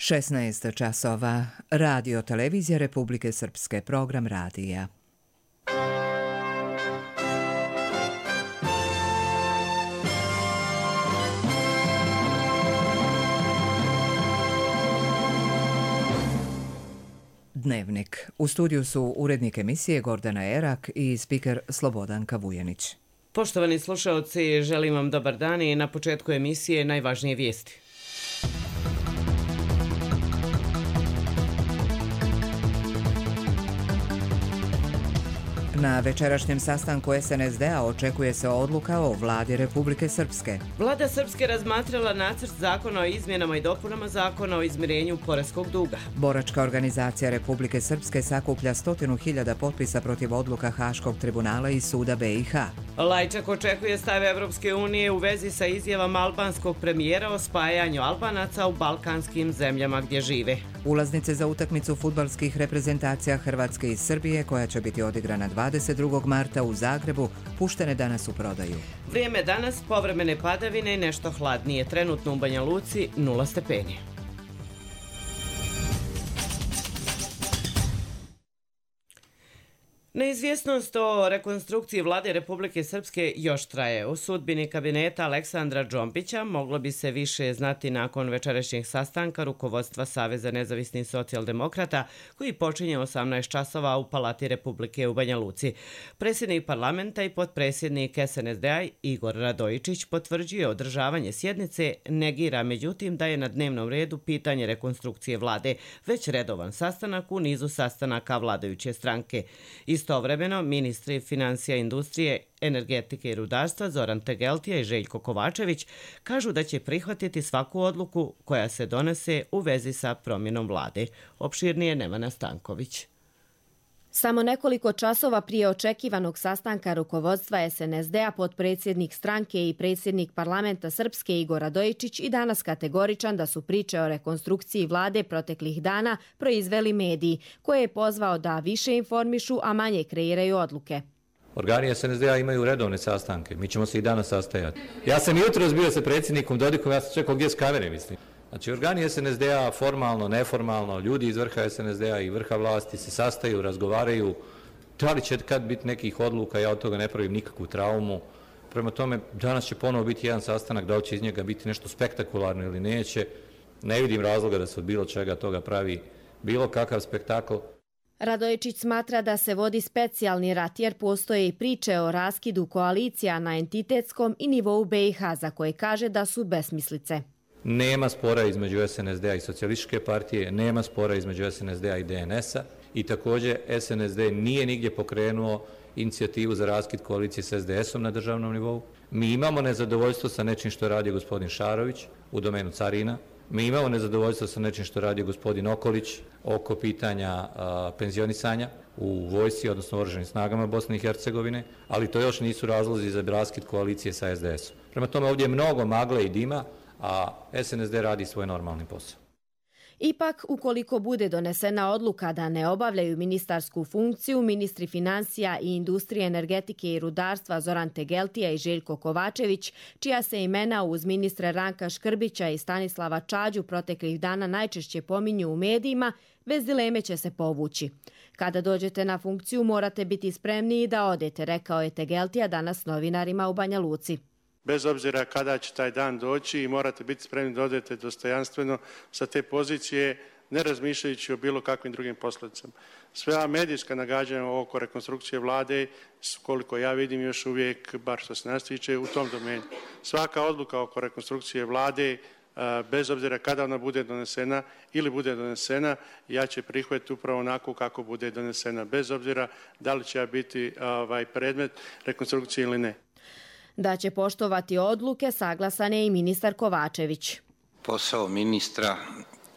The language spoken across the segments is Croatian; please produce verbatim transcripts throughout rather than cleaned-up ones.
šesnaest časova. Radio televizija Republike Srpske, program radija. Dnevnik. U studiju su urednik emisije Gordana Erak i spiker Slobodanka Vujanić. Poštovani slušaoci, želim vam dobar dan i na početku emisije najvažnije vijesti. Na večerašnjem sastanku es en es de a očekuje se odluka o vladi Republike Srpske. Vlada Srpske razmatrala nacrt zakona o izmjenama i dopunama zakona o izmirenju poreskog duga. Boračka organizacija Republike Srpske sakuplja stotinu hiljada potpisa protiv odluka Haškog tribunala i suda be i ha. Lajčak očekuje stav Evropske unije u vezi sa izjavama albanskog premijera o spajanju Albanaca u balkanskim zemljama gdje žive. Ulaznice za utakmicu fudbalskih reprezentacija Hrvatske i Srbije, koja će biti odigrana dvadeset drugog marta u Zagrebu, puštene danas u prodaju. Vrijeme danas, povremene padavine i nešto hladnije. Trenutno u Banja Luci nula stepeni. Neizvjesnost o rekonstrukciji vlade Republike Srpske još traje. U sudbini kabineta Aleksandra Džombića moglo bi se više znati nakon večerašnjeg sastanka rukovodstva Saveza nezavisnih socijaldemokrata koji počinje osamnaest časova u Palati Republike u Banja Luci. Predsjednik parlamenta i potpredsjednik es en es de a Igor Radojičić potvrđuje održavanje sjednice, negira međutim da je na dnevnom redu pitanje rekonstrukcije vlade, već redovan sastanak u nizu sastanaka vladajuće stranke. Istovremeno, ministri financija, industrije, energetike i rudarstva Zoran Tegeltija i Željko Kovačević kažu da će prihvatiti svaku odluku koja se donese u vezi sa promjenom vlade. Opširnije Nevana Stanković. Samo nekoliko časova prije očekivanog sastanka rukovodstva es en es de a potpredsjednik stranke i predsjednik parlamenta Srpske Igor Radojičić i danas kategoričan da su priče o rekonstrukciji vlade proteklih dana proizveli mediji, koje je pozvao da više informišu, a manje kreiraju odluke. Organi es en es de a imaju redovne sastanke, mi ćemo se i danas sastajati. Ja sam jutros bio sa predsjednikom Dodikom, ja sam čekao gdje s kamere, mislim. Znači, organi es en es de a formalno, neformalno, ljudi iz vrha es en es de a i vrha vlasti se sastaju, razgovaraju. Da li će kad biti nekih odluka, ja od toga ne pravim nikakvu traumu. Prema tome, danas će ponovo biti jedan sastanak, da li će iz njega biti nešto spektakularno ili neće. Ne vidim razloga da se od bilo čega toga pravi bilo kakav spektakl. Radojičić smatra da se vodi specijalni rat jer postoje i priče o raskidu koalicija na entitetskom i nivou be i ha za koje kaže da su besmislice. Nema spora između es en es de a i Socijalističke partije, nema spora između es en es de a i de en es a i također es en es de nije nigdje pokrenuo inicijativu za raskid koalicije s es de esom na državnom nivou. Mi imamo nezadovoljstvo sa nečim što radi gospodin Šarović u domenu carina. Mi imamo nezadovoljstvo sa nečim što radi gospodin Okolić oko pitanja a, penzionisanja u vojsci, odnosno oružanim snagama Bosne i Hercegovine, ali to još nisu razlozi za raskid koalicije sa es de esom. Prema tome ovdje je mnogo magle i dima, a es en es de radi svoj normalni posao. Ipak, ukoliko bude donesena odluka da ne obavljaju ministarsku funkciju, ministri financija i industrije, energetike i rudarstva Zoran Tegeltija i Željko Kovačević, čija se imena uz ministre Ranka Škrbića i Stanislava Čađu proteklih dana najčešće pominju u medijima, bez dileme će se povući. Kada dođete na funkciju morate biti spremni da odete, rekao je Tegeltija danas novinarima u Banja Luci. Bez obzira kada će taj dan doći i morate biti spremni da odete dostojanstveno sa te pozicije, ne razmišljajući o bilo kakvim drugim posljedicama. Sve medijska nagađanja oko rekonstrukcije vlade, koliko ja vidim još uvijek, bar što se nas tiče, u tom domenu. Svaka odluka oko rekonstrukcije vlade, bez obzira kada ona bude donesena ili bude donesena, ja će prihvatiti upravo onako kako bude donesena, bez obzira da li će biti ovaj, predmet rekonstrukcije ili ne. Da će poštovati odluke saglasan je i ministar Kovačević. Posao ministra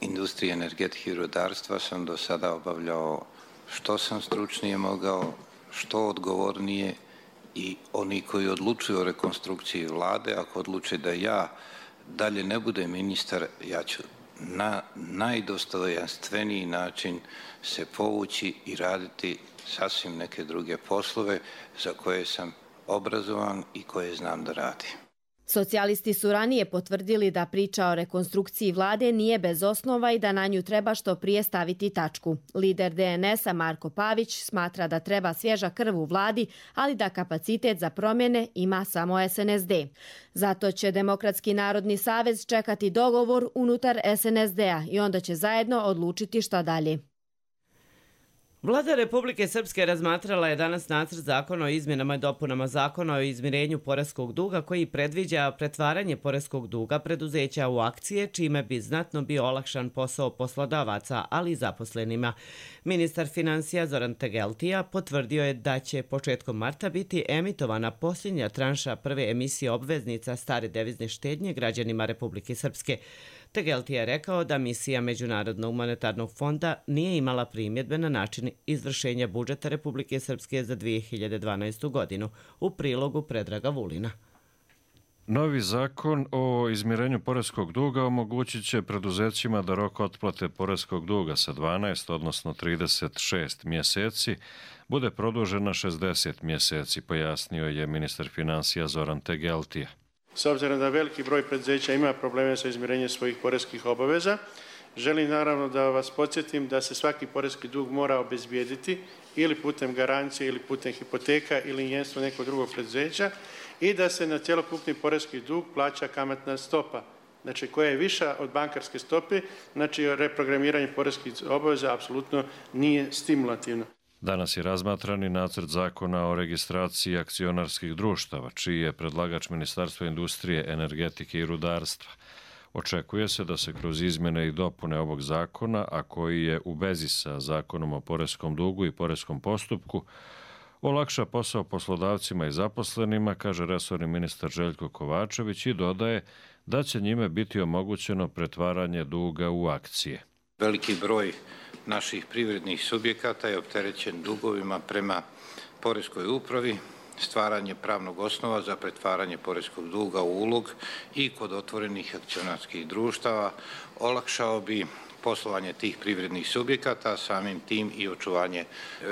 industrije, energetike i rudarstva sam do sada obavljao što sam stručnije mogao, što odgovornije i oni koji odlučuju o rekonstrukciji vlade, ako odluče da ja dalje ne budem ministar, ja ću na najdostojanstveniji način se povući i raditi sasvim neke druge poslove za koje sam obrazovan i koje znam da radi. Socijalisti su ranije potvrdili da priča o rekonstrukciji vlade nije bez osnova i da na nju treba što prije staviti tačku. Lider D N S-a Marko Pavić smatra da treba svježa krv u vladi, ali da kapacitet za promjene ima samo S N S D. Zato će Demokratski narodni savez čekati dogovor unutar S N S D-a i onda će zajedno odlučiti šta dalje. Vlada Republike Srpske razmatrala je danas nacrt zakona o izmjenama i dopunama zakona o izmirenju poreskog duga koji predviđa pretvaranje poreskog duga preduzeća u akcije, čime bi znatno bio olakšan posao poslodavaca, ali i zaposlenima. Ministar finansija Zoran Tegeltija potvrdio je da će početkom marta biti emitovana posljednja tranša prve emisije obveznica stare devizne štednje građanima Republike Srpske. Tegeltija je rekao da misija Međunarodnog monetarnog fonda nije imala primjedbe na način izvršenja budžeta Republike Srpske za dvije hiljade dvanaestu godinu, u prilogu Predraga Vulina. Novi zakon o izmirenju poreskog duga omogućit će preduzećima da rok otplate poreskog duga sa dvanaest, odnosno trideset šest mjeseci, bude produžen na šezdeset mjeseci, pojasnio je ministar finansija Zoran Tegeltija. S obzirom da veliki broj preduzeća ima probleme sa izmirenjem svojih poreskih obaveza, želim naravno da vas podsjetim da se svaki poreski dug mora obezbijediti ili putem garancije ili putem hipoteka ili injenstvo nekog drugog preduzeća i da se na cjelokupni poreski dug plaća kamatna stopa, znači koja je viša od bankarske stope, znači reprogramiranje poreskih obaveza apsolutno nije stimulativno. Danas je razmatrani nacrt zakona o registraciji akcionarskih društava, čiji je predlagač Ministarstva industrije, energetike i rudarstva. Očekuje se da se kroz izmjene i dopune ovog zakona, a koji je u vezi sa zakonom o poreskom dugu i poreskom postupku, olakša posao poslodavcima i zaposlenima, kaže resorni ministar Željko Kovačević i dodaje da će njime biti omogućeno pretvaranje duga u akcije. Veliki broj naših privrednih subjekata je opterećen dugovima prema poreskoj upravi, stvaranje pravnog osnova za pretvaranje poreskog duga u ulog i kod otvorenih akcionarskih društava olakšao bi poslovanje tih privrednih subjekata, samim tim i očuvanje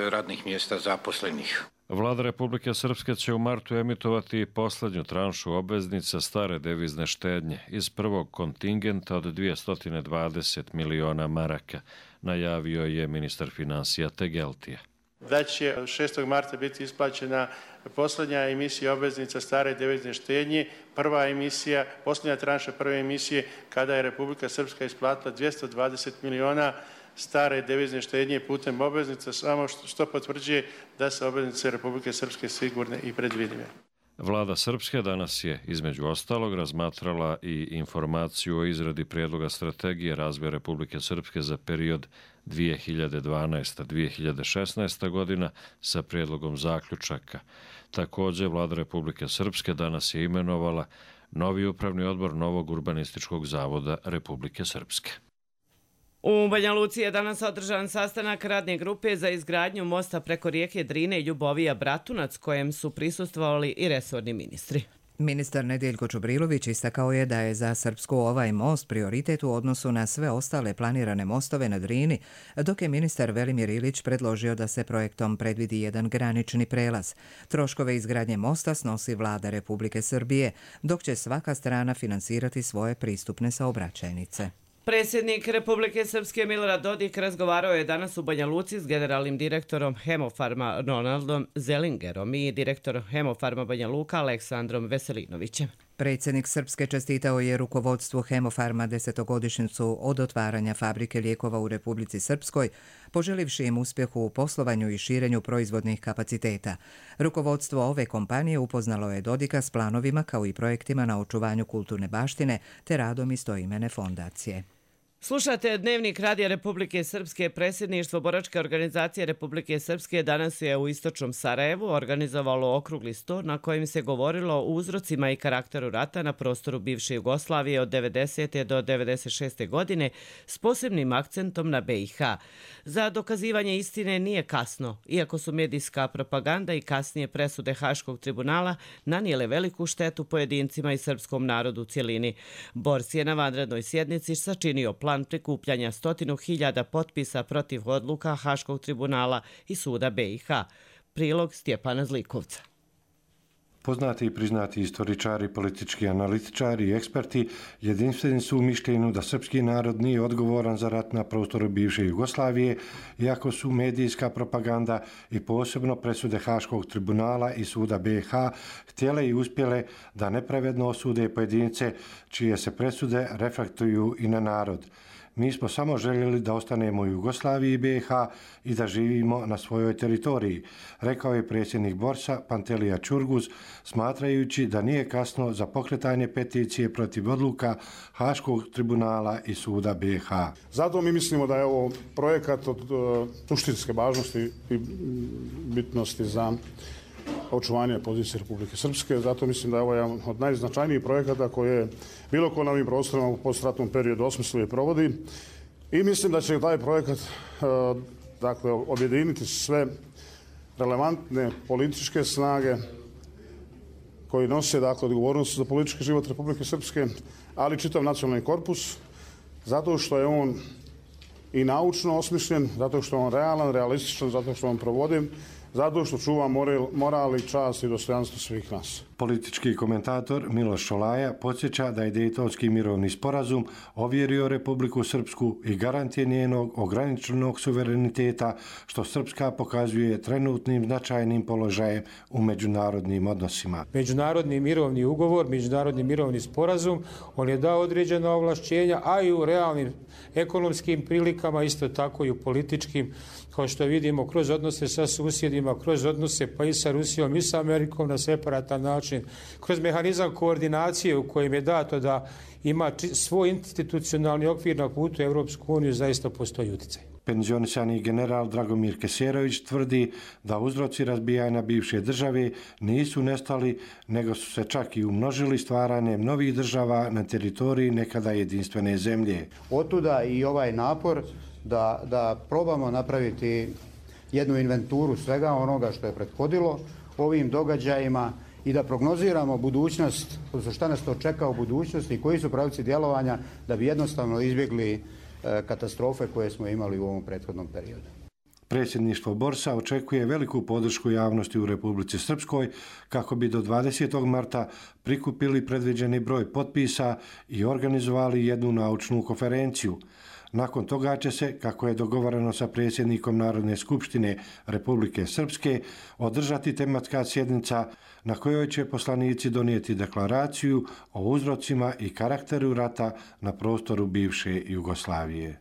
radnih mjesta zaposlenih. Vlada Republike Srpske će u martu emitovati posljednju tranšu obveznica stare devizne štednje iz prvog kontingenta od dvjesto dvadeset miliona maraka, najavio je ministar finansija Tegeltija. Da će šestog marta biti isplaćena posljednja emisija obveznica stare devizne štednje, prva emisija, posljednja tranša prve emisije, kada je Republika Srpska isplatila dvjesto dvadeset miliona stare devizne štednje putem obveznica, samo što potvrđuje da su obveznice Republike Srpske sigurne i predvidive. Vlada Srpske danas je, između ostalog, razmatrala i informaciju o izradi prijedloga strategije razvoja Republike Srpske za period dvije hiljade dvanaesta do dvije hiljade šesnaesta godina sa prijedlogom zaključaka. Također, Vlada Republike Srpske danas je imenovala novi upravni odbor novog urbanističkog zavoda Republike Srpske. U Banja Luci je danas održan sastanak radne grupe za izgradnju mosta preko rijeke Drine Ljubovija Bratunac, kojem su prisustvovali i resorni ministri. Ministar Nediljko Čubrilović istakao je da je za Srpsku ovaj most prioritet u odnosu na sve ostale planirane mostove na Drini, dok je ministar Velimir Ilić predložio da se projektom predvidi jedan granični prelaz. Troškove izgradnje mosta snosi Vlada Republike Srbije, dok će svaka strana finansirati svoje pristupne saobraćajnice. Predsjednik Republike Srpske Milorad Dodik razgovarao je danas u Banja Luci s generalnim direktorom Hemofarma Ronaldom Zelingerom i direktorom Hemofarma Banja Luka Aleksandrom Veselinovićem. Predsjednik Srpske čestitao je rukovodstvu Hemofarma desetogodišnjicu od otvaranja fabrike lijekova u Republici Srpskoj, poželivši im uspjehu u poslovanju i širenju proizvodnih kapaciteta. Rukovodstvo ove kompanije upoznalo je Dodika s planovima kao i projektima na očuvanju kulturne baštine te radom istoimene fondacije. Slušate Dnevnik Radija Republike Srpske. Predsjedništvo Boračke organizacije Republike Srpske danas je u istočnom Sarajevu organizovalo okrugli sto na kojem se govorilo o uzrocima i karakteru rata na prostoru bivše Jugoslavije od devedesete do devedeset šeste godine s posebnim akcentom na be i ha. Za dokazivanje istine nije kasno, iako su medijska propaganda i kasnije presude Haškog tribunala nanijele veliku štetu pojedincima i srpskom narodu u cjelini. Bors je na vanrednoj sjednici sačinio plan plan prikupljanja stotinu hiljada potpisa protiv odluka Haškog tribunala i suda be i ha. Prilog Stjepana Zlikovca. Poznati i priznati istoričari, politički analitičari i eksperti jedinstveni su u mišljenju da srpski narod nije odgovoran za rat na prostoru bivše Jugoslavije, iako su medijska propaganda i posebno presude Haškog tribunala i suda B i H htjele i uspjele da nepravedno osude pojedince čije se presude reflektuju i na narod. Mi smo samo željeli da ostanemo u Jugoslaviji i B i H i da živimo na svojoj teritoriji, rekao je predsjednik Borsa Pantelija Čurguz, smatrajući da nije kasno za pokretanje peticije protiv odluka Haškog tribunala i suda B i H. Zato mi mislimo da je ovo projekat od suštinske važnosti i bitnosti za očuvanje pozicije Republike Srpske. Zato mislim da je ovo jedan od najznačajnijih projekata koje bilo ko na ovim prostorima u postratnom periodu osmisluje i provodi. I mislim da će taj projekat dakle, objediniti sve relevantne političke snage koji nose dakle, odgovornost za politički život Republike Srpske, ali čitav nacionalni korpus, zato što je on i naučno osmišljen, zato što je on realan, realističan, zato što on provodi, zato što čuva moral i čast i dostojanstvo svih nas. Politički komentator Miloš Šolaja podsjeća da je Dejtonski mirovni sporazum ovjerio Republiku Srpsku i garantije njenog ograničenog suvereniteta, što Srpska pokazuje trenutnim značajnim položajem u međunarodnim odnosima. Međunarodni mirovni ugovor, međunarodni mirovni sporazum, on je dao određena ovlašćenja, a i u realnim ekonomskim prilikama, isto tako i u političkim, kao što vidimo kroz odnose sa susjedima, kroz odnose pa i sa Rusijom i sa Amerikom na separatan način, kroz mehanizam koordinacije u kojem je dato da ima svoj institucionalni okvir na putu Evropsku uniju, zaista postoji utjecaj. Penzionisani general Dragomir Keserović tvrdi da uzroci razbijanja bivše države nisu nestali, nego su se čak i umnožili stvaranjem novih država na teritoriji nekada jedinstvene zemlje. Otuda i ovaj napor da, da probamo napraviti jednu inventuru svega onoga što je prethodilo ovim događajima i da prognoziramo budućnost, odnosno šta nas to čeka u budućnosti i koji su pravci djelovanja da bi jednostavno izbjegli katastrofe koje smo imali u ovom prethodnom periodu. Predsjedništvo Borsa očekuje veliku podršku javnosti u Republici Srpskoj kako bi do dvadesetog marta prikupili predviđeni broj potpisa i organizovali jednu naučnu konferenciju. Nakon toga će se, kako je dogovoreno sa predsjednikom Narodne skupštine Republike Srpske, održati tematska sjednica na kojoj će poslanici donijeti deklaraciju o uzrocima i karakteru rata na prostoru bivše Jugoslavije.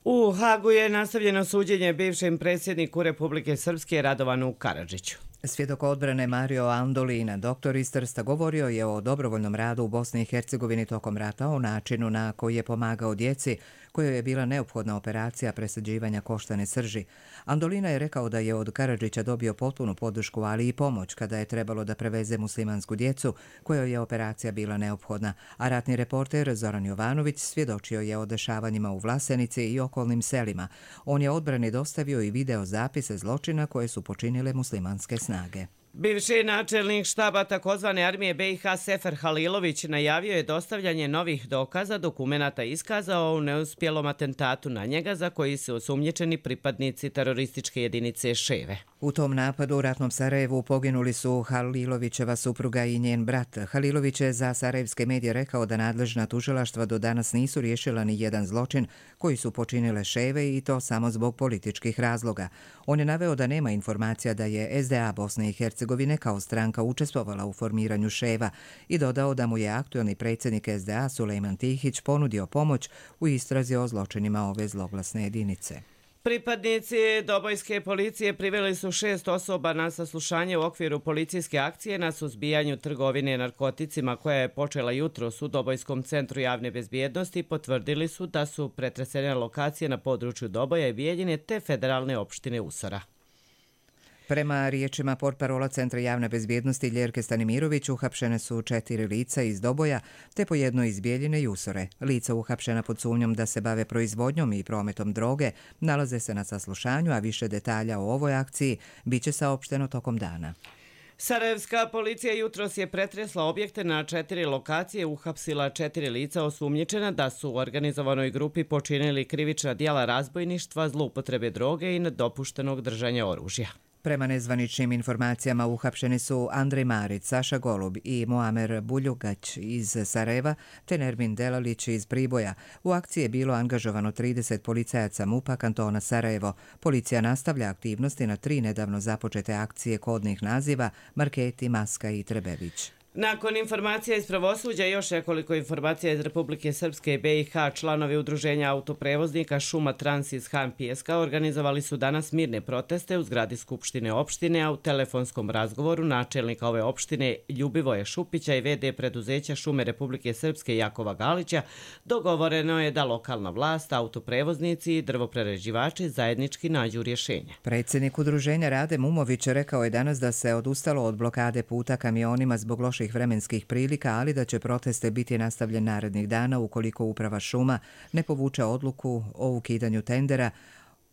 U Hagu je nastavljeno suđenje bivšem predsjedniku Republike Srpske Radovanu Karadžiću. Svjedok odbrane Mario Andolina, doktor iz Trsta, govorio je o dobrovoljnom radu u Bosni i Hercegovini tokom rata, o načinu na koji je pomagao djeci kojoj je bila neophodna operacija presađivanja koštane srži. Andolina je rekao da je od Karadžića dobio potpunu podršku, ali i pomoć kada je trebalo da preveze muslimansku djecu kojoj je operacija bila neophodna, a ratni reporter Zoran Jovanović svjedočio je o dešavanjima u Vlasenici i okolnim selima. On je odbrani dostavio i video zapise zločina koje su počinile muslimanske snage. Bivši načelnik štaba takozvane armije B i H Sefer Halilović najavio je dostavljanje novih dokaza, dokumenata iskazao u neuspjelom atentatu na njega za koji su osumnjičeni pripadnici terorističke jedinice Ševe. U tom napadu u ratnom Sarajevu poginuli su Halilovićeva supruga i njen brat. Halilović je za sarajevske medije rekao da nadležna tužilaštva do danas nisu riješila ni jedan zločin koji su počinile Ševe i to samo zbog političkih razloga. On je naveo da nema informacija da je S D A Bosne i Hercegovine kao stranka učestvovala u formiranju Ševa i dodao da mu je aktuelni predsjednik S D A Sulejman Tihić ponudio pomoć u istrazi o zločinima ove zloglasne jedinice. Pripadnici dobojske policije priveli su šest osoba na saslušanje u okviru policijske akcije na suzbijanju trgovine narkoticima koja je počela jutros u Dobojskom centru javne bezbjednosti. Potvrdili su da su pretresene lokacije na području Doboja i Bijeljine te federalne opštine Usora. Prema riječima portparola Centra javne bezbjednosti Ljerke Stanimirović, uhapšene su četiri lica iz Doboja, te po jedno iz Bijeljine i Usore. Lica uhapšena pod sumnjom da se bave proizvodnjom i prometom droge nalaze se na saslušanju, a više detalja o ovoj akciji biće saopšteno tokom dana. Sarajevska policija jutros je pretresla objekte na četiri lokacije, uhapsila četiri lica osumnjičena da su u organizovanoj grupi počinili krivična djela razbojništva, zloupotrebe droge i nedopuštenog držanja oružja. Prema nezvaničnim informacijama uhapšeni su Andrej Marić, Saša Golub i Muamer Buljugać iz Sarajeva te Nermin Delalić iz Priboja. U akciji je bilo angažovano trideset policajaca MUP-a kantona Sarajevo. Policija nastavlja aktivnosti na tri nedavno započete akcije kodnih naziva Marketi, Maska i Trebević. Nakon informacija iz pravosuđa, još nekoliko informacija iz Republike Srpske i be i ha, članovi udruženja autoprevoznika Šuma Trans iz Han Pijeska organizovali su danas mirne proteste u zgradi Skupštine opštine, a u telefonskom razgovoru načelnika ove opštine Ljubivoja Šupića i ve de preduzeća Šume Republike Srpske Jakova Galića dogovoreno je da lokalna vlast, autoprevoznici i drvoprerađivači zajednički nađu rješenje. Predsjednik udruženja Rade Mumović rekao je danas da se odustalo od blokade puta kamionima zbog loših vremenskih prilika, ali da će proteste biti nastavljen narednih dana ukoliko uprava šuma ne povuče odluku o ukidanju tendera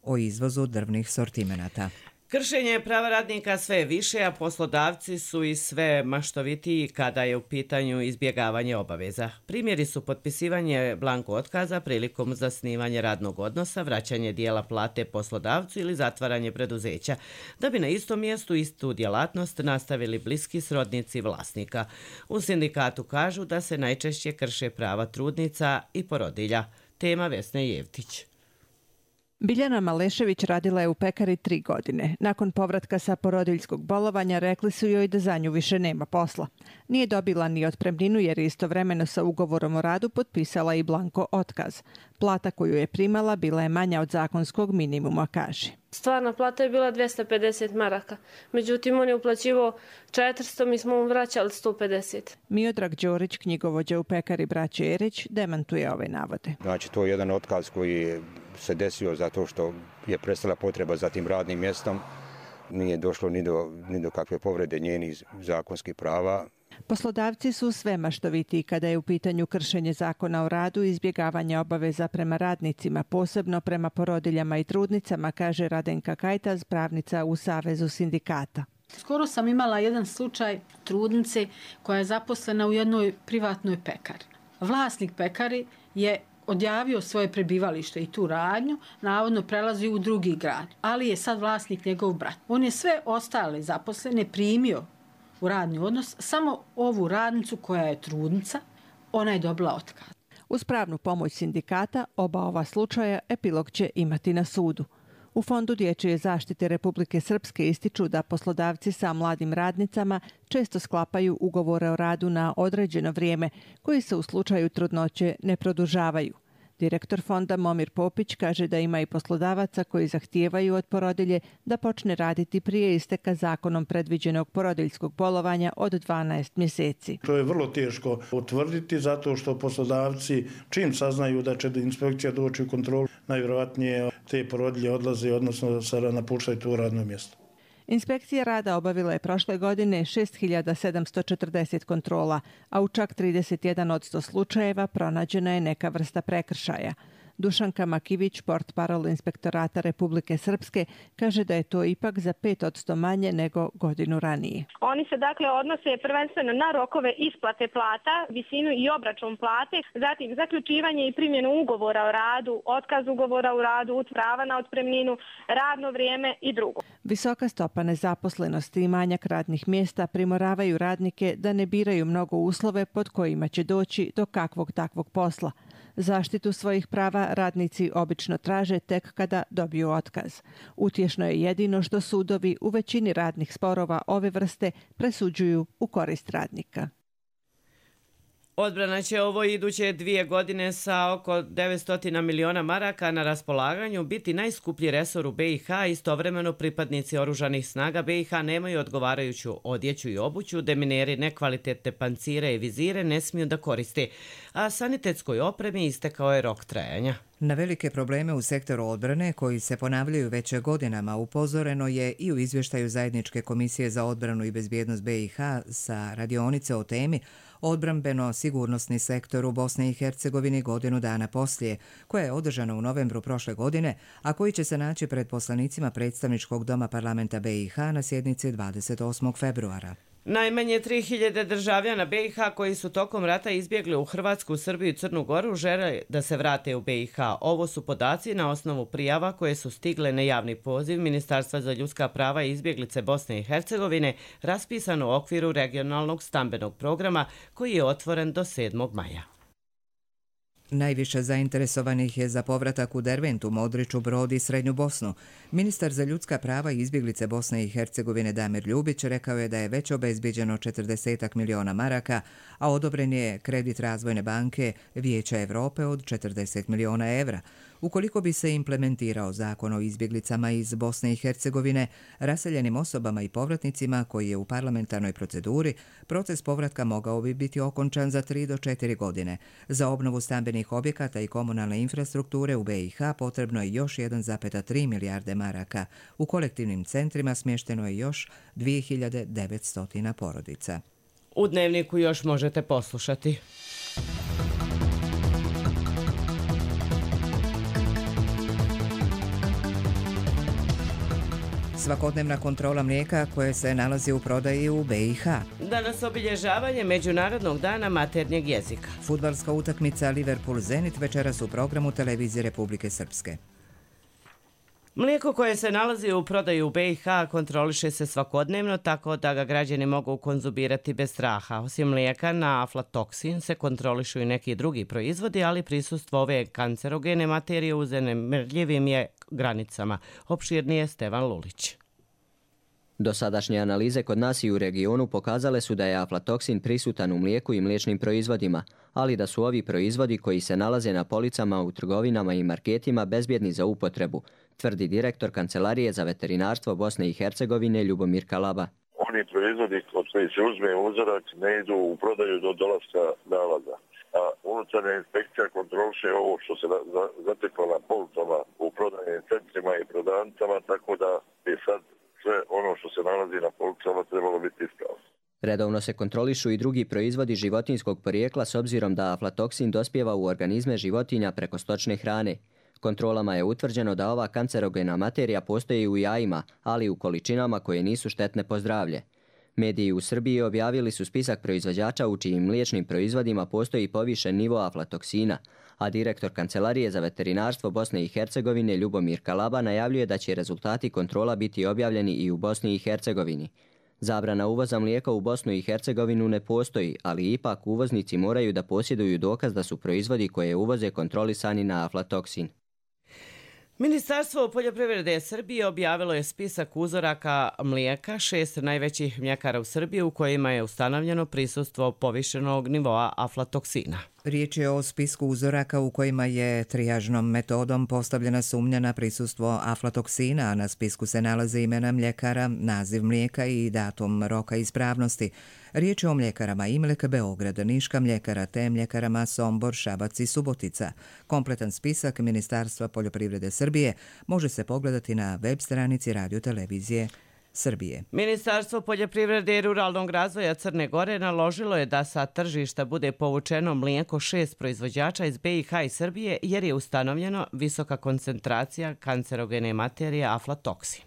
o izvozu drvnih sortimenata. Kršenje prava radnika sve je više, a poslodavci su i sve maštovitiji kada je u pitanju izbjegavanje obaveza. Primjeri su potpisivanje blanko otkaza prilikom zasnivanja radnog odnosa, vraćanje dijela plate poslodavcu ili zatvaranje preduzeća, da bi na istom mjestu istu djelatnost nastavili bliski srodnici vlasnika. U sindikatu kažu da se najčešće krše prava trudnica i porodilja. Tema Vesne Jevtić. Biljana Malešević radila je u pekari tri godine. Nakon povratka sa porodiljskog bolovanja rekli su joj da za nju više nema posla. Nije dobila ni otpremninu jer je istovremeno sa ugovorom o radu potpisala i blanko otkaz. Plata koju je primala bila je manja od zakonskog minimuma, kaže. Stvarna plata je bila dvjesto pedeset maraka. Međutim, on je uplaćivao četiristo, mi smo mu vraćali sto pedeset. Miodrag Đorić, knjigovođa u pekari braće Erić, demantuje ove navode. Znači, to je jedan otkaz koji se desio zato što je prestala potreba za tim radnim mjestom. Nije došlo ni do, ni do kakve povrede njenih zakonskih prava. Poslodavci su sve maštovitiji kada je u pitanju kršenje zakona o radu i izbjegavanje obaveza prema radnicima, posebno prema porodiljama i trudnicama, kaže Radenka Kajtaz, pravnica u Savezu sindikata. Skoro sam imala jedan slučaj trudnice koja je zaposlena u jednoj privatnoj pekari. Vlasnik pekari je odjavio svoje prebivalište i tu radnju, navodno prelazi u drugi grad, ali je sad vlasnik njegov brat. On je sve ostale zaposlene primio u radni odnos, samo ovu radnicu koja je trudnica, ona je dobila otkaz. Uz pravnu pomoć sindikata, oba ova slučaja epilog će imati na sudu. U Fondu dječje zaštite Republike Srpske ističu da poslodavci sa mladim radnicama često sklapaju ugovore o radu na određeno vrijeme, koji se u slučaju trudnoće ne produžavaju. Direktor fonda Momir Popić kaže da ima i poslodavaca koji zahtijevaju od porodilje da počne raditi prije isteka zakonom predviđenog porodiljskog bolovanja od dvanaest mjeseci. To je vrlo teško utvrditi zato što poslodavci čim saznaju da će inspekcija doći u kontrolu, najvjerojatnije te porodilje odlaze, odnosno napuštaju to radno mjesto. Inspekcija rada obavila je prošle godine šest hiljada sedamsto četrdeset kontrola, a u čak trideset jedan posto slučajeva pronađena je neka vrsta prekršaja. Dušanka Makivić, portparol Inspektorata Republike Srpske, kaže da je to ipak za pet posto manje nego godinu ranije. Oni se dakle odnose prvenstveno na rokove isplate plata, visinu i obračun plate, zatim zaključivanje i primjenu ugovora o radu, otkaz ugovora o radu, prava na otpremninu, radno vrijeme i drugo. Visoka stopa nezaposlenosti i manjak radnih mjesta primoravaju radnike da ne biraju mnogo uslove pod kojima će doći do kakvog takvog posla. Zaštitu svojih prava radnici obično traže tek kada dobiju otkaz. Utješno je jedino što sudovi u većini radnih sporova ove vrste presuđuju u korist radnika. Odbrana će ovo iduće dvije godine sa oko devetsto miliona maraka na raspolaganju biti najskuplji resor u be i ha. Istovremeno pripadnici oružanih snaga be i ha nemaju odgovarajuću odjeću i obuću, demineri nekvalitetne pancire i vizire ne smiju da koriste, a sanitetskoj opremi istekao je rok trajanja. Na velike probleme u sektoru odbrane, koji se ponavljaju već godinama, upozoreno je i u izvještaju Zajedničke komisije za odbranu i bezbjednost be i ha sa radionice o temi Odbrambeno-sigurnosni sektor u Bosni i Hercegovini godinu dana poslije, koja je održana u novembru prošle godine, a koji će se naći pred poslanicima predstavničkog doma parlamenta be i ha na sjednici dvadeset osmog februara. Najmanje tri hiljade državljana B i H koji su tokom rata izbjegli u Hrvatsku, Srbiju i Crnu Goru žele da se vrate u B i H. Ovo su podaci na osnovu prijava koje su stigle na javni poziv Ministarstva za ljudska prava i izbjeglice Bosne i Hercegovine raspisan u okviru regionalnog stambenog programa koji je otvoren do sedmog maja. Najviše zainteresovanih je za povratak u Derventu, Modriču, Brod i Srednju Bosnu. Ministar za ljudska prava i izbjeglice Bosne i Hercegovine Damir Ljubić rekao je da je već obezbijeđeno četrdeset miliona maraka, a odobren je kredit Razvojne banke Vijeća Evrope od četrdeset miliona evra. Ukoliko bi se implementirao zakon o izbjeglicama iz Bosne i Hercegovine, raseljenim osobama i povratnicima koji je u parlamentarnoj proceduri, proces povratka mogao bi biti okončan za tri do četiri godine. Za obnovu stambenih objekata i komunalne infrastrukture u B i H potrebno je još jedan zarez tri milijarde maraka. U kolektivnim centrima smješteno je još dvije hiljade devetsto porodica. U Dnevniku još možete poslušati. Svakodnevna kontrola mlijeka koje se nalazi u prodaji u B i H. Danas obilježavanje Međunarodnog dana maternjeg jezika. Fudbalska utakmica Liverpool-Zenit večeras u programu Televizije Republike Srpske. Mlijeko koje se nalazi u prodaju u B i H kontroliše se svakodnevno tako da ga građani mogu konzumirati bez straha. Osim mlijeka na aflatoksin se kontrolišu i neki drugi proizvodi, ali prisustvo ove kancerogene materije u zanemrljivim je granicama. Opširnije Stevan Lulić. Dosadašnje analize kod nas i u regionu pokazale su da je aflatoksin prisutan u mlijeku i mliječnim proizvodima, ali da su ovi proizvodi koji se nalaze na policama u trgovinama i marketima bezbjedni za upotrebu, tvrdi direktor Kancelarije za veterinarstvo Bosne i Hercegovine Ljubomir Kalaba. Oni proizvodi od koji se uzme uzorak ne idu u prodaju do dolaska nalaza. A unutarnja inspekcija kontroliše ovo što se zateklo na policama u prodajnim centrima i prodavnicama, tako da je sad sve ono što se nalazi na policama trebalo biti ispravno. Redovno se kontrolišu i drugi proizvodi životinjskog porijekla s obzirom da aflatoksin dospijeva u organizme životinja preko stočne hrane. Kontrolama je utvrđeno da ova kancerogena materija postoji u jajima, ali u količinama koje nisu štetne po zdravlje. Mediji u Srbiji objavili su spisak proizvođača u čijim mliječnim proizvodima postoji povišen nivo aflatoksina, a direktor Kancelarije za veterinarstvo Bosne i Hercegovine Ljubomir Kalaba najavljuje da će rezultati kontrola biti objavljeni i u Bosni i Hercegovini. Zabrana uvoza mlijeka u Bosnu i Hercegovinu ne postoji, ali ipak uvoznici moraju da posjeduju dokaz da su proizvodi koje uvoze kontrolisani na aflatoksin. Ministarstvo poljoprivrede Srbije objavilo je spisak uzoraka mlijeka šest najvećih mljekara u Srbiji u kojima je ustanovljeno prisustvo povišenog nivoa aflatoksina. Riječ je o spisku uzoraka u kojima je trijažnom metodom postavljena sumnja na prisustvo aflatoksina, a na spisku se nalaze imena mljekara, naziv mlijeka i datum roka ispravnosti. Riječ je o mljekarama Imlek, Beograd, Niška mljekara te mljekarama Sombor, Šabac i Subotica. Kompletan spisak Ministarstva poljoprivrede Srbije može se pogledati na web stranici Radio Televizije Srbije. Ministarstvo poljoprivrede i ruralnog razvoja Crne Gore naložilo je da sa tržišta bude povučeno mlijeko šest proizvođača iz B i H i Srbije jer je ustanovljeno visoka koncentracija kancerogene materije aflatoksin.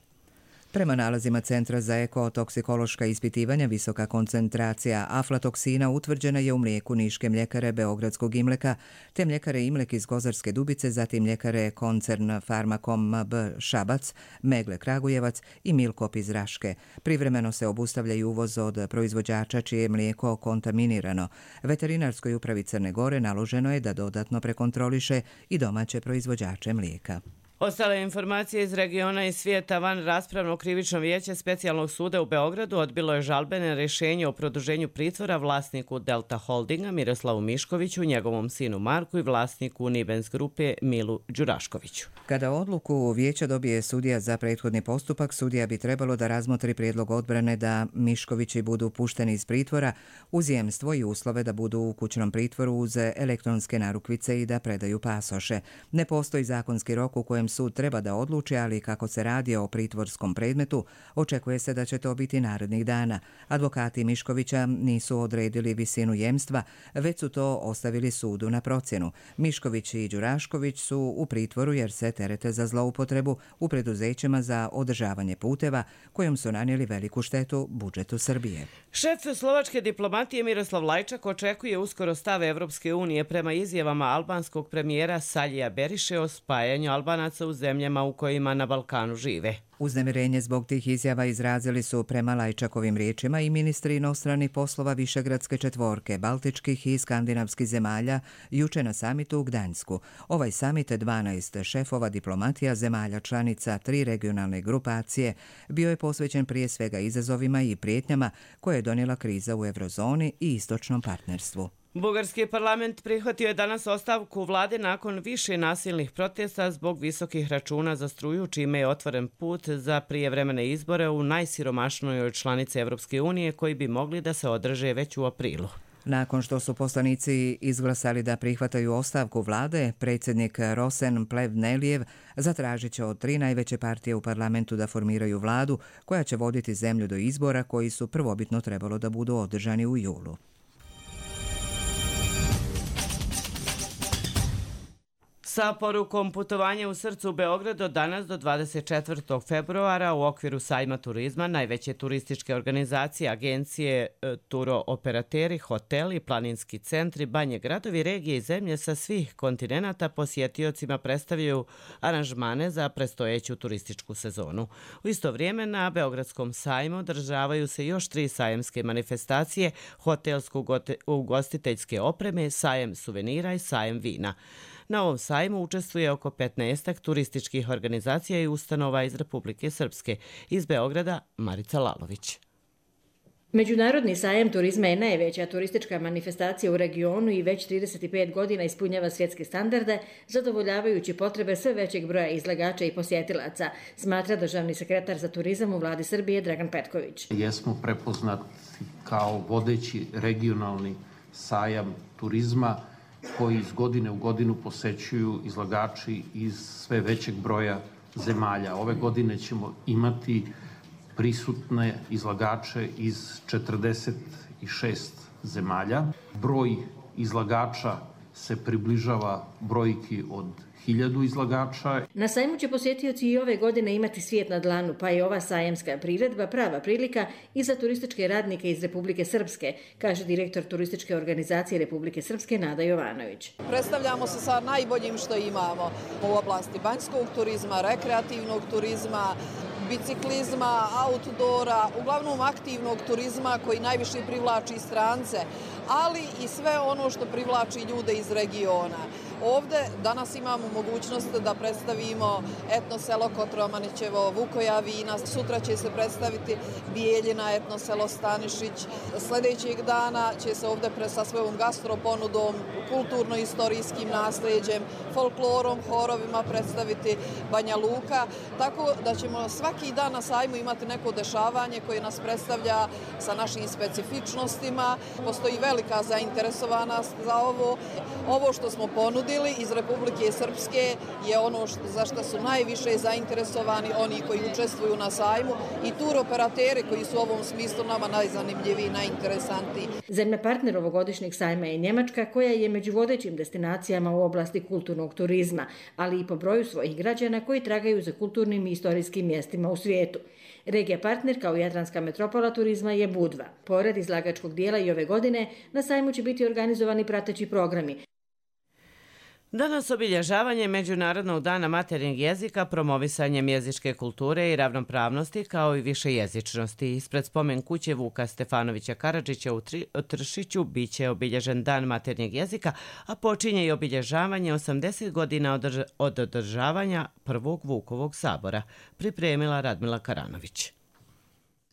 Prema nalazima Centra za ekotoksikološka ispitivanja, visoka koncentracija aflatoksina utvrđena je u mlijeku Niške mljekare Beogradskog Imleka, te mljekare Imlek iz Kozarske Dubice, zatim mljekare koncern Farmakom B Šabac, Megle Kragujevac i Milkop iz Raške. Privremeno se obustavlja i uvoz od proizvođača čije je mlijeko kontaminirano. Veterinarskoj upravi Crne Gore naloženo je da dodatno prekontroliše i domaće proizvođače mlijeka. Ostale informacije iz regiona i svijeta. Van raspravno krivično vijeće Specijalnog suda u Beogradu odbilo je žalbene rješenje o produženju pritvora vlasniku Delta Holdinga Miroslavu Miškoviću, njegovom sinu Marku i vlasniku Nibens grupe Milu Đuraškoviću. Kada odluku vijeća dobije sudija za prethodni postupak, sudija bi trebalo da razmotri prijedlog odbrane da Miškovići budu pušteni iz pritvora uz jemstvo i uslove da budu u kućnom pritvoru uz elektronske narukvice i da predaju pasoše. Ne postoji zakonski rok u kojem sud treba da odluči, ali kako se radi o pritvorskom predmetu, očekuje se da će to biti narednih dana. Advokati Miškovića nisu odredili visinu jemstva, već su to ostavili sudu na procjenu. Mišković i Đurašković su u pritvoru jer se terete za zloupotrebu u preduzećima za održavanje puteva, kojom su nanijeli veliku štetu budžetu Srbije. Šef slovačke diplomatije Miroslav Lajčak očekuje uskoro stav Evropske unije prema izjavama albanskog premijera Saljija Beriše o spajanju Albanaca u zemljama u kojima na Balkanu žive. Uznemirenje zbog tih izjava izrazili su prema Lajčakovim riječima i ministri inostranih poslova Višegradske četvorke, baltičkih i skandinavskih zemalja juče na samitu u Gdanjsku. Ovaj samit dvanaest šefova diplomatija zemalja članica tri regionalne grupacije bio je posvećen prije svega izazovima i prijetnjama koje je donijela kriza u eurozoni i istočnom partnerstvu. Bugarski parlament prihvatio je danas ostavku vlade nakon više nasilnih protesta zbog visokih računa za struju, čime je otvoren put za prijevremene izbore u najsiromašnijoj članici Evropske unije koji bi mogli da se održe već u aprilu. Nakon što su poslanici izglasali da prihvataju ostavku vlade, predsjednik Rosen Plevnelijev zatražit će od tri najveće partije u parlamentu da formiraju vladu koja će voditi zemlju do izbora koji su prvobitno trebalo da budu održani u julu. Sa porukom putovanja u srcu Beograd od danas do dvadeset četvrtog februara u okviru sajma turizma najveće turističke organizacije, agencije, turooperateri, hoteli, planinski centri, banje, gradovi, regije i zemlje sa svih kontinenata posjetiocima predstavljaju aranžmane za predstojeću turističku sezonu. U isto vrijeme na Beogradskom sajmu održavaju se još tri sajamske manifestacije, hotelsko-ugostiteljske opreme, sajem suvenira i sajem vina. Na ovom sajmu učestvuje oko petnaestak turističkih organizacija i ustanova iz Republike Srpske. Iz Beograda Marica Lalović. Međunarodni sajam turizma je najveća turistička manifestacija u regionu i već trideset pet godina ispunjava svjetske standarde, zadovoljavajući potrebe sve većeg broja izlagača i posjetilaca, smatra državni sekretar za turizam u vladi Srbije Dragan Petković. Jesmo prepoznati kao vodeći regionalni sajam turizma koji iz godine u godinu posećuju izlagači iz sve većeg broja zemalja. Ove godine ćemo imati prisutne izlagače iz četrdeset šest zemalja. Broj izlagača se približava brojki od hiljadu izlagača. Na sajmu će posjetioci i ove godine imati svijet na dlanu, pa je ova sajamska priredba prava prilika i za turističke radnike iz Republike Srpske, kaže direktor turističke organizacije Republike Srpske Nada Jovanović. Predstavljamo se sa najboljim što imamo u oblasti banjskog turizma, rekreativnog turizma, biciklizma, outdoora, uglavnom aktivnog turizma koji najviše privlači strance, ali i sve ono što privlači ljude iz regiona. Ovde danas imamo mogućnost da predstavimo etno selo Kotromanićevo, Vukoja vina, sutra će se predstaviti Bijeljina, etno selo Stanišić. Sljedećeg dana će se ovde sa svojom gastroponudom, kulturno-istorijskim nasljeđem, folklorom, horovima predstaviti Banja Luka, tako da ćemo svaki dan na sajmu imati neko dešavanje koje nas predstavlja sa našim specifičnostima. Postoji velika zainteresovanost za ovo. Ovo što smo ponudili iz Republike Srpske je ono za što su najviše zainteresovani oni koji učestvuju na sajmu i turoperateri koji su u ovom smislu nama najzanimljiviji i najinteresantniji. Zemlja partner ovogodišnjeg sajma je Njemačka, koja je među vodećim destinacijama u oblasti kulturnog turizma, ali i po broju svojih građana koji tragaju za kulturnim i istorijskim mjestima u svijetu. Regija partner kao Jadranska metropola turizma je Budva. Pored izlagačkog dijela i ove godine na sajmu će biti organizovani prateći programi. Danas obilježavanje Međunarodnog dana maternjeg jezika, promovisanjem jezičke kulture i ravnopravnosti kao i višejezičnosti. Ispred spomen kuće Vuka Stefanovića Karadžića u Tršiću biće obilježen dan maternjeg jezika, a počinje i obilježavanje osamdeset godina od održavanja prvog Vukovog sabora, pripremila Radmila Karanović.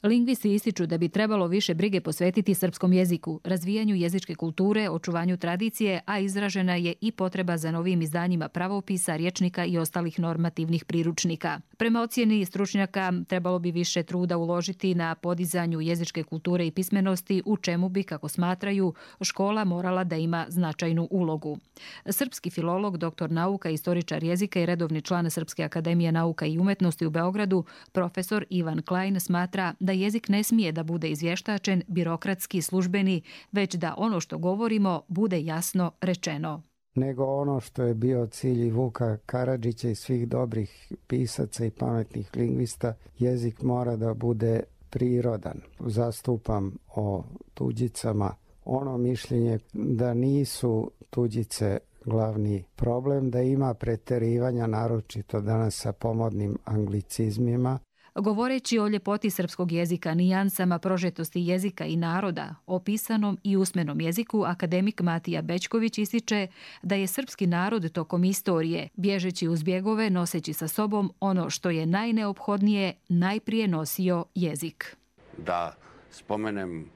Lingvisti ističu da bi trebalo više brige posvetiti srpskom jeziku, razvijanju jezičke kulture, očuvanju tradicije, a izražena je i potreba za novim izdanjima pravopisa, rječnika i ostalih normativnih priručnika. Prema ocjeni stručnjaka trebalo bi više truda uložiti na podizanju jezičke kulture i pismenosti, u čemu bi, kako smatraju, škola morala da ima značajnu ulogu. Srpski filolog, doktor nauka, istoričar jezika i redovni član Srpske akademije nauka i umetnosti u Beogradu, profesor Ivan Klein, smatra da jezik ne smije da bude izvještačen, birokratski, službeni, već da ono što govorimo bude jasno rečeno. Nego ono što je bio cilj i Vuka Karadžića i svih dobrih pisaca i pametnih lingvista, jezik mora da bude prirodan. Zastupam o tuđicama ono mišljenje da nisu tuđice glavni problem, da ima preterivanja, naročito danas sa pomodnim anglicizmima. Govoreći o ljepoti srpskog jezika, nijansama prožetosti jezika i naroda, o pisanom i usmenom jeziku, akademik Matija Bećković ističe da je srpski narod tokom istorije, bježeći uz bjegove, noseći sa sobom ono što je najneophodnije, najprije nosio jezik. Da spomenem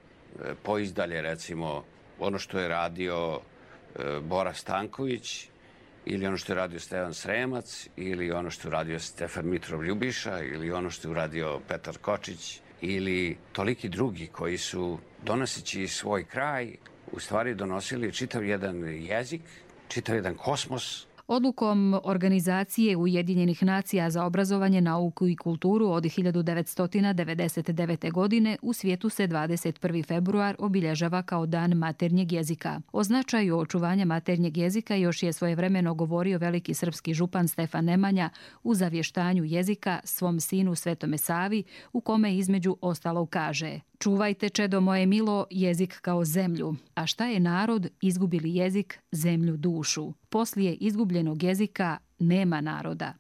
poizdalje, recimo, ono što je radio Bora Stanković, ili ono što je radio Stevan Sremac, ili ono što je radio Stefan Mitrov Ljubiša, ili ono što je uradio Petar Kočić, ili toliki drugi koji su, donoseći svoj kraj, u stvari donosili čitav jedan jezik, čitav jedan kosmos. Odlukom Organizacije Ujedinjenih nacija za obrazovanje, nauku i kulturu od hiljadu devetsto devedeset devete. godine u svijetu se dvadeset prvi februar obilježava kao Dan maternjeg jezika. O značaju očuvanja maternjeg jezika još je svojevremeno govorio veliki srpski župan Stefan Nemanja u zavještanju jezika svom sinu Svetome Savi, u kome između ostalog kaže: "Čuvajte, čedo moje milo, jezik kao zemlju. A šta je narod, izgubili jezik, zemlju, dušu. Poslije izgubljenog jezika nema naroda."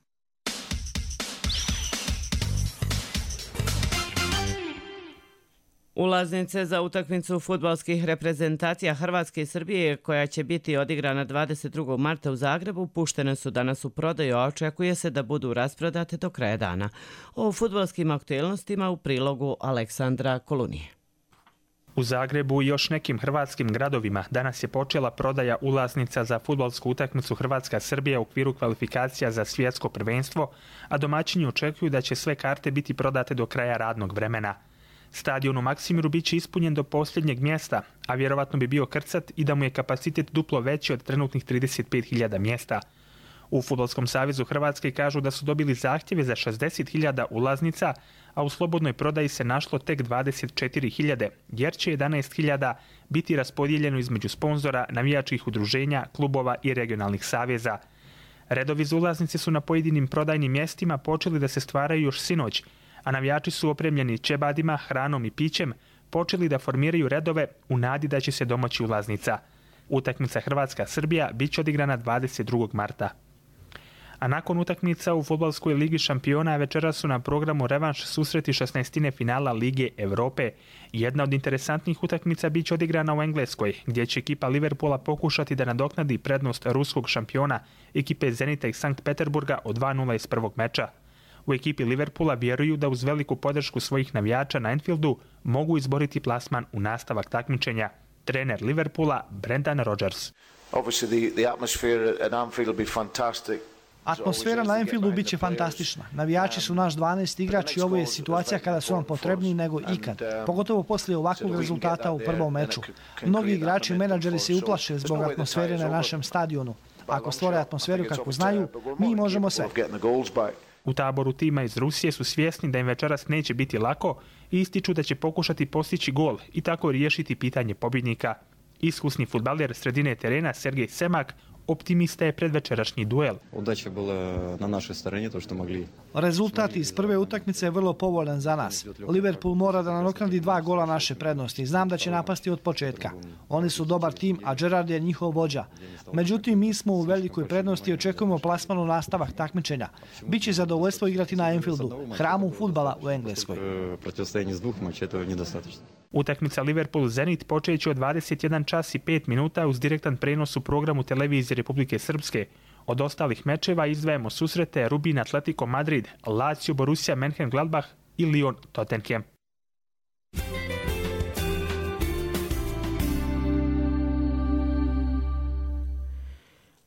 Ulaznice za utakmicu fudbalskih reprezentacija Hrvatske i Srbije, koja će biti odigrana dvadeset drugog marta u Zagrebu, puštene su danas u prodaju, a očekuje se da budu rasprodate do kraja dana. O fudbalskim aktuelnostima u prilogu Aleksandra Kolunije. U Zagrebu i još nekim hrvatskim gradovima danas je počela prodaja ulaznica za fudbalsku utakmicu Hrvatska-Srbija u okviru kvalifikacija za svjetsko prvenstvo, a domaćini očekuju da će sve karte biti prodate do kraja radnog vremena. Stadion u Maksimiru bit će ispunjen do posljednjeg mjesta, a vjerovatno bi bio krcat i da mu je kapacitet duplo veći od trenutnih trideset pet hiljada mjesta. U Fudbalskom savezu Hrvatske kažu da su dobili zahtjeve za šezdeset hiljada ulaznica, a u slobodnoj prodaji se našlo tek dvadeset četiri hiljade, jer će jedanaest hiljada biti raspodijeljeno između sponzora, navijačkih udruženja, klubova i regionalnih saveza. Redovi za ulaznice su na pojedinim prodajnim mjestima počeli da se stvaraju još sinoć, a navijači su opremljeni čebadima, hranom i pićem, počeli da formiraju redove u nadi da će se domoći ulaznica. Utakmica Hrvatska-Srbija bit će odigrana dvadeset drugog marta. A nakon utakmica u fudbalskoj ligi šampiona večera su na programu revanš susreti šesnaestine finala Lige Europe. Jedna od interesantnih utakmica bit će odigrana u Engleskoj, gdje će ekipa Liverpoola pokušati da nadoknadi prednost ruskog šampiona, ekipe Zenita iz Sankt Peterburga od dva nula iz prvog meča. U ekipi Liverpoola vjeruju da uz veliku podršku svojih navijača na Anfieldu mogu izboriti plasman u nastavak takmičenja. Trener Liverpoola Brendan Rodgers. Atmosfera na Anfieldu bit će fantastična. Navijači su naš dvanaesti igrač i ovo je situacija kada su nam potrebniji nego ikad. Pogotovo poslije ovakvog rezultata u prvom meču. Mnogi igrači i menadžeri se uplaše zbog atmosfere na našem stadionu. Ako stvore atmosferu kako znaju, mi možemo sve. U taboru tima iz Rusije su svjesni da im večeras neće biti lako i ističu da će pokušati postići gol i tako riješiti pitanje pobjednika. Iskusni fudbaler sredine terena Sergej Semak optimista je pred večerašnji duel. Udaća bila na našoj strani, to što mogli. Rezultat iz prve utakmice je vrlo povoljan za nas. Liverpool mora da nadoknadi dva gola naše prednosti. Znam da će napasti od početka. Oni su dobar tim, a Gerrard je njihov vođa. Međutim, mi smo u velikoj prednosti i očekujemo plasman u nastavak takmičenja. Biće zadovoljstvo igrati na Anfieldu, hramu fudbala u Engleskoj. Protivstajanje s dvох матчей to je nedostatno. Utakmica Liverpool-Zenit počeće od dvadeset jedan čas i pet minuta uz direktan prenos u programu televizije Republike Srpske. Od ostalih mečeva izdvajamo susrete Rubin Atletico Madrid, Lazio Borussia Mönchengladbach i Lyon Tottenham.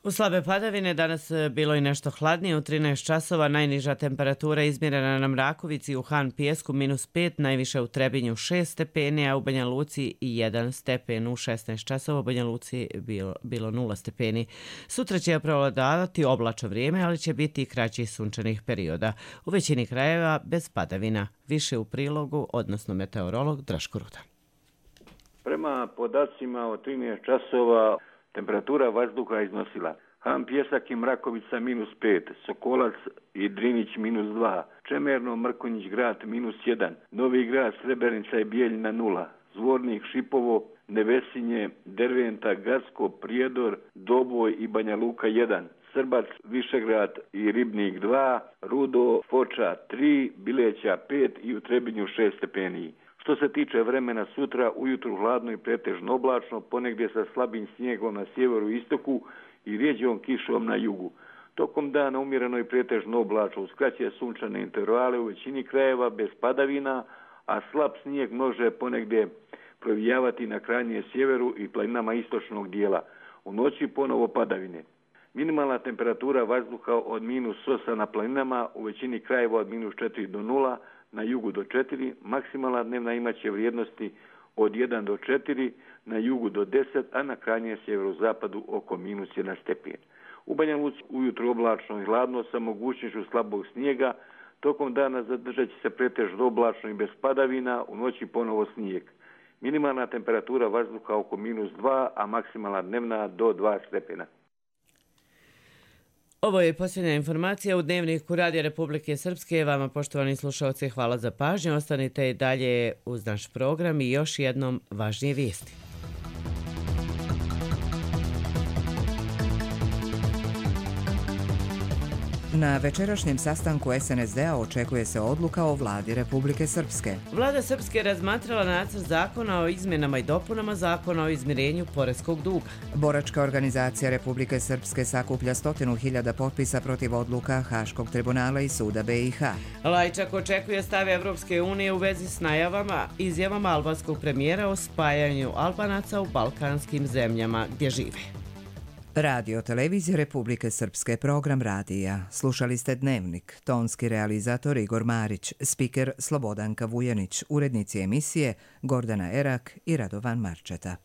U slabe padavine danas bilo i nešto hladnije, u trinaest časova najniža temperatura izmjerena na Mrakovici u Han Pijesku minus pet, najviše u Trebinju šest stepeni, a u Banja Luci jedan stepen. U šesnaest časova u Banja Luci bilo, bilo nula stepeni. Sutra će prevladavati oblačno vrijeme, ali će biti i kraći sunčanih perioda. U većini krajeva bez padavina. Više u prilogu, odnosno meteorolog Draško Rudan. Prema podacima od trinaest časova temperatura vazduha iznosila Han Pijesak i Mrakovica minus pet, Sokolac i Drinić minus dva, Čemerno, Mrkonjić grad minus jedan, Novi grad, Srebrenica i Bijeljina nula, Zvornik, Šipovo, Nevesinje, Derventa, Gacko, Prijedor, Doboj i Banja Luka jedan, Srbac, Višegrad i Ribnik dva, Rudo, Foča tri, Bileća pet i u Trebinju šest stepeni. Što se tiče vremena sutra, ujutru hladno i pretežno oblačno, ponegdje sa slabim snijegom na sjeveru i istoku i rijeđom kišom na jugu. Tokom dana umjereno i pretežno oblačno, uz kraće sunčane intervale u većini krajeva bez padavina, a slab snijeg može ponegdje provijavati na krajnje sjeveru i planinama istočnog dijela. U noći ponovo padavine. Minimalna temperatura vazduha od minus osam na planinama, u većini krajeva od minus četiri do nula, na jugu do četiri, maksimalna dnevna imaće vrijednosti od jedan do četiri, na jugu do deset, a na krajnjem sjeverozapadu oko minus jedan stepen. U Banja Luci ujutro oblačno i hladno sa mogućnošću slabog snijega, tokom dana zadržat će se pretežno oblačno i bez padavina, u noći ponovo snijeg. Minimalna temperatura vazduha oko minus dva, a maksimalna dnevna do dva stepena. Ovo je posljednja informacija u Dnevniku Radija Republike Srpske. Vama, poštovani slušalci, hvala za pažnju. Ostanite i dalje uz naš program i još jednom važnije vijesti. Na večerašnjem sastanku es en es de a očekuje se odluka o vladi Republike Srpske. Vlada Srpske razmatrala nacrt zakona o izmjenama i dopunama zakona o izmirenju poreskog duga. Boračka organizacija Republike Srpske sakuplja stotinu hiljada potpisa protiv odluka Haškog tribunala i suda be i ha. Lajčak očekuje stav Evropske unije u vezi s najavama, izjavama albanskog premijera o spajanju Albanaca u balkanskim zemljama gdje žive. Radio Televizija Republike Srpske, program radija. Slušali ste Dnevnik, tonski realizator Igor Marić, spiker Slobodanka Vujanić, urednici emisije Gordana Erak i Radovan Marčeta.